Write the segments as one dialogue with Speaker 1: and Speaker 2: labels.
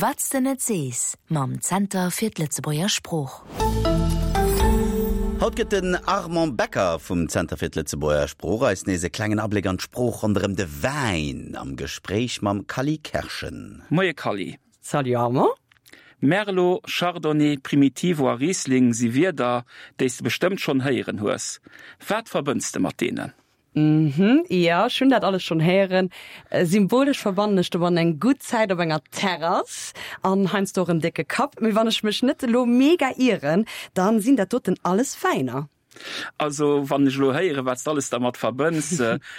Speaker 1: Wat s de net sees mam Zenter fir d'Lëtzebuerger Sprooch.
Speaker 2: Haut gëtt den Armand Becker vum Zenter fir d'Lëtzebuerger Sprooch eis nees e klengen Abléck an d'Sprooch ronderëm de Wäin am Gespréich mam Kally Kerschen.
Speaker 3: Moie Kally.
Speaker 4: Salut Armand.
Speaker 3: Merlot, Chardonnay, Primitivo a Riesling si Wierder, déi s de bestëmmt schonn héieren hues. Wat verbënns de mat deenen?
Speaker 4: Mhm, jo, ech hunn dat alles schonn héieren. Symbolesch verbannen ech domatten eng gutt Zäit op enger Terrass an heiansdo och en décke Kapp. Mee wann ech mech net elo mega ieren, dann sinn dat doten alles Wäiner.
Speaker 3: Also wann ech elo héieren, wat s de alles dermat verbënns,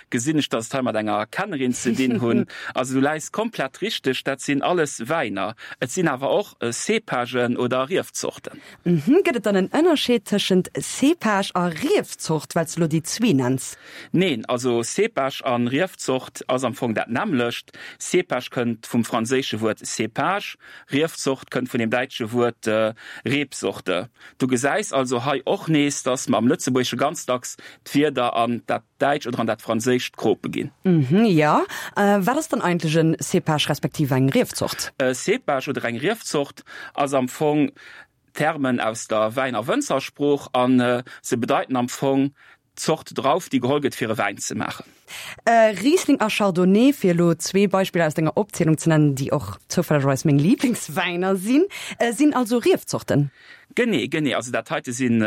Speaker 3: gesinn ech, dass et hei mat enger Kennerin ze dinn hunn. Also du läis komplett richteg, dat sinn alles Wäiner. Et sinn awer och Cépagen oder Riefzorten.
Speaker 4: Mhm, gëtt et dann en Ënnerscheed tëschent Cépage a Riefzort, well s de lo déi zwee nenns?
Speaker 3: Neen, also Cépage an Riefzort ass am Fong dat nämmlecht. Cépage kënnt vum franséische Wuert cépage, Riefzort kënnt vun dem däitsche Wuert Rebsorte. Du gesäis also hei och nees, dass mer am Lëtzebuergesche ganz dacks d'Wierder an dat Däitscht oder an dat Franséischt krope ginn.
Speaker 4: Mhm, jo. Wat ass dann eigentlech en Cépage respektiv eng Riefzort?
Speaker 3: E Cépage oder eng Riefzort ass am Fong Termen aus der Wäin a Wënzersprooch a se bedeiten am Fong d'Zort Drauf, déi geholl gëtt, fir e Wäin ze maachen.
Speaker 4: Riesling a Chardonnay, fir elo zwee Beispiller aus denger Opzielung ze nennen, déi och zoufällegerweis meng Liblingswäiner sinn, sinn also Riefzorten.
Speaker 3: Genee, genee. Also dat heite sinn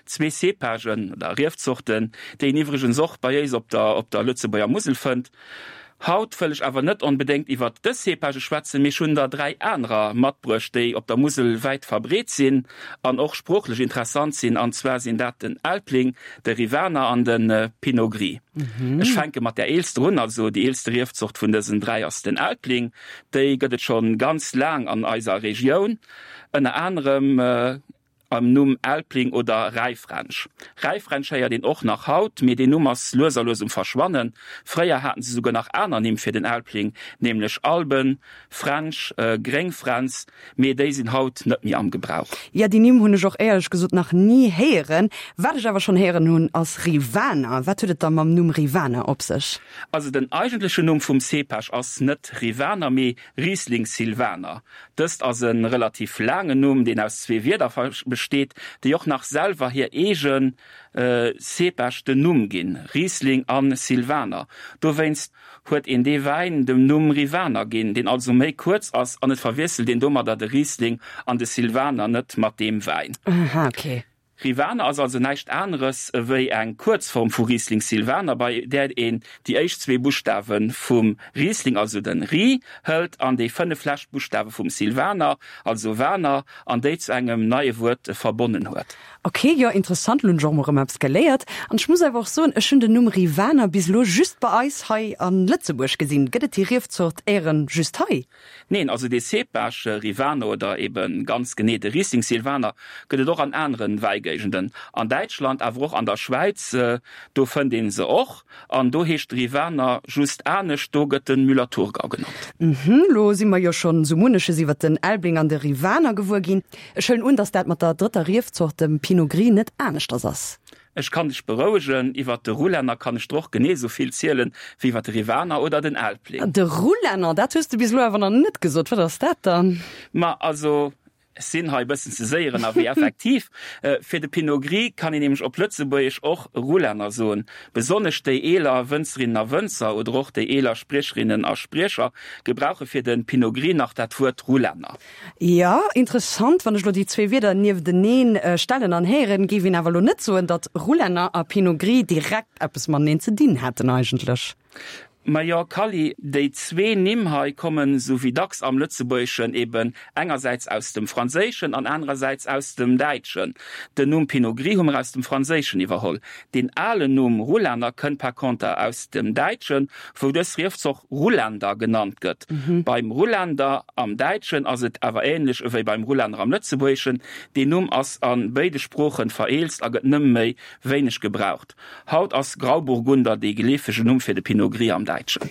Speaker 3: zwee Cépagen oder Riefzorten, déi een iwwregens och bei éis op der op der Lëtzebuerger Musel fënnt. Haut wëll ech awer net onbedéngt iwwert dës Cépagë schwätzen, mee ech hunn der 3 anerer matbruecht, déi op der Musel wäit verbreet sinn an och sproochlech interessant sinn, an zwar sinn dat den Elbling, de Rivaner an de Pinot Gris. Ech fänke mat där eelster un, also déi eelste Riefzort vun dësen 3 ass den Elbling. Déi gëtt et schonn ganz laang an eiser Regioun, ënner anerem am Numm Elbling oder Räifränsch. Räifränsch héiert een och nach haut, mee deen Numm ass lues a lues um Verschwannen. Fréier haten se souguer nach aner Nimm fir den Elbling, nämlech Alben, Fränsch, Gréngfränz, mee déi sinn haut net méi am Gebrauch.
Speaker 4: Jo, déi Nimm hunn ech och éierlech gesot nach ni héieren. Wat ech awer schonn héieren hunn, ass Rivaner. Wat huet et da mam Numm Rivaner op sech?
Speaker 3: Also den eigentlechen Numm vum Cépage ass net Rivaner, mee Riesling Silvaner. Dëst ass e relativ laangen Numm, deen aus zwee Wierder besteet, déi och nach selwer hir eege Cépage den Numm ginn, Riesling a Silvaner. Dowéinst huet een dee Wäin dem Numm Rivaner ginn, deen also méi kuerz ass, an et verwiesselt een domadder de Riesling an de Silvaner net mat deem Wäin.
Speaker 4: Aha, okay.
Speaker 3: Rivaner ass also näischt aneres ewéi eng Kuerzform vu Riesling Silvaner, bei där een déi éischt zwee Buschtawe vum Riesling, also den Ri, hëlt an déi 5 lescht Buschtawe vum Silvaner, also Vaner, an déi zu engem neie Wuert verbonnen huet.
Speaker 4: Ok, jo interessant, lo hunn ech och mol rëm eppes geléiert. An ech muss awer och soen, ech hunn den Numm Rivaner bis elo just bei eis hei a Lëtzebuerg gesinn. Gëtt et déi Riefzort éieren just hei?
Speaker 3: Neen, also dee Cépage Rivano oder eben ganz genee de Riesling Silvaner gëtt et och an aneren Wäigéigenden, an Däitschland, awer och an der Schwäiz, do fënnt een se och an do heescht de Rivaner just anescht, do gëtt den Müller-Thurgau genannt.
Speaker 4: Mhm, lo si mer jo schonn sou munneches iwwert den Elbling an de Rivaner gewuer ginn. Ech huelen un, dass dat mat der drëtter Riefzort, dem Pinot Gris, net aneschters ass?
Speaker 3: Ech kann dech berouegen, iwwert de Rulänner kann ech der och genee esou vill zielen, wéi iwwert de Rivaner oder den Elbling.
Speaker 4: De Rulänner, dat hues de bis elo awer nach net gesot. Wat ass dat dann?
Speaker 3: Ma also, ech sinn hei e bëssen ze séier ënnerwee, effektiv. Fir de Pinot Gris kann een nämlech op Lëtzebuergesch och Rulänner soen. Besonnesch déi eeler Wënzerinnen a Wënzer oder och déi eeler Spriecherinnen a Spriecher gebrauche fir de Pinot Gris nach dat Wuert Rulänner.
Speaker 4: Jo, interessant. Wann ech lo déi zwee Wierder niefteneen stellen an héieren, géif een awer lo net soen, datt Rulänner a Pinot Gris direkt eppes mateneen ze dinn hätten eigentlech.
Speaker 3: Majo Kally, déi zwee Nimm hei kommen, sou wéi dacks am Lëtzebuergeschen, eben engersäits aus dem Franséischen an anerersäits aus dem Däitschen. Den Numm Pinot Gris hu mer aus dem Franséischen iwwerholl. Deen alen Numm Rulänner kënnt par conter aus dem Däitschen, wou dës Riefzort Ruländer genannt gëtt. Beim Ruländer am Däitschen ass et awer ähnlech ewéi beim Rulänner am Lëtzebuergeschen, deen Numm ass a béide Sproochen vereelzt a gëtt nëmme méi wéineg gebraucht. Haut ass Grauburgunder dee geleefege Numm fir de Pinot Gris am. Däitschen.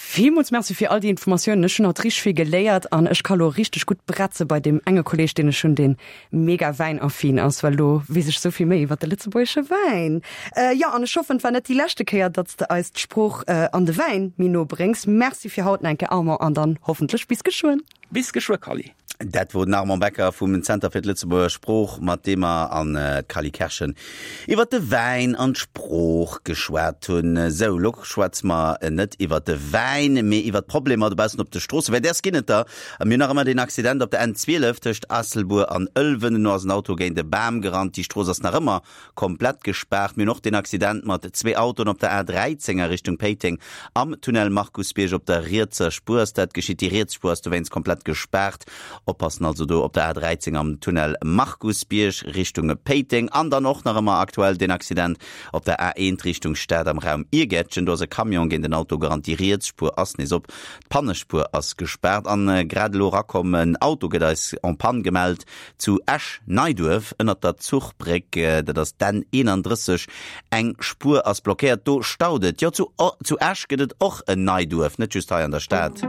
Speaker 4: Villmools Merci fir all déi Informatiounen. Ech hunn haut richteg vill geléiert an ech ka lo richteg gutt bretze bei deem enge Kolleeg, deen ech hunn, deen mega wäinaffin ass, well lo weess ech sou vill méi iwwer de lëtzebuergesche Wäin. Jo, an ech hoffen, et war net déi leschte Kéier, datt s de eis d'Sprooch an de Wäin méi no bréngs. Merci fir haut nach eng Kéier, Armand, an dann hoffentlech bis geschwënn.
Speaker 3: Bis geschwë, Kally.
Speaker 2: Dat wor den Armand Becker vum Zenter fir d'Lëtzebuerger Sprooch, mat deem mer an d'Cally Kerschen iwwert de Wäin an d'Sprooch geschwat hunn. Sou, lo schwätze mer net iwwert de Wäin, mee iwwert d'Problemer dobaussen op de Stroossen, well däers ginn et der. A mir hunn nach ëmmer deen Accident op der N12 tëscht Aasselbuer an Ëlwen. Elo ass en Auto géint e Bam gerannt. Déi Strooss ass nach ëmmer komplett gespaart. Mir hunn och deen Accident mat zwee Autoen op der A13 a Richtung Péiteng am Tunnel Markusbierg op der rietser Spuer ass dat geschitt. Déi riets Spuer ass dowéinst komplett gespaart. Oppassen also do op der A13 am Tunnel Markusbierg Richtung Péiteng. An dann och nach ëmmer aktuell deen Accident op der A1 Richtung Stad am Raum Iergäertchen. Do ass e Camion géint en Auto gerannt. Déi riets Spuer ass nees op, d'Pannespuer ass gespaart. An grad elo erakomm, en Auto gëtt eis en panne gemellt Zu Esch-Neiduerf ënnert der Zuchbréck, dat ass d'N 31, eng Spuer ass blockéiert, do staut et. Jo, zu Esch gëtt et och en Neiduerf, net just hei an der Stad.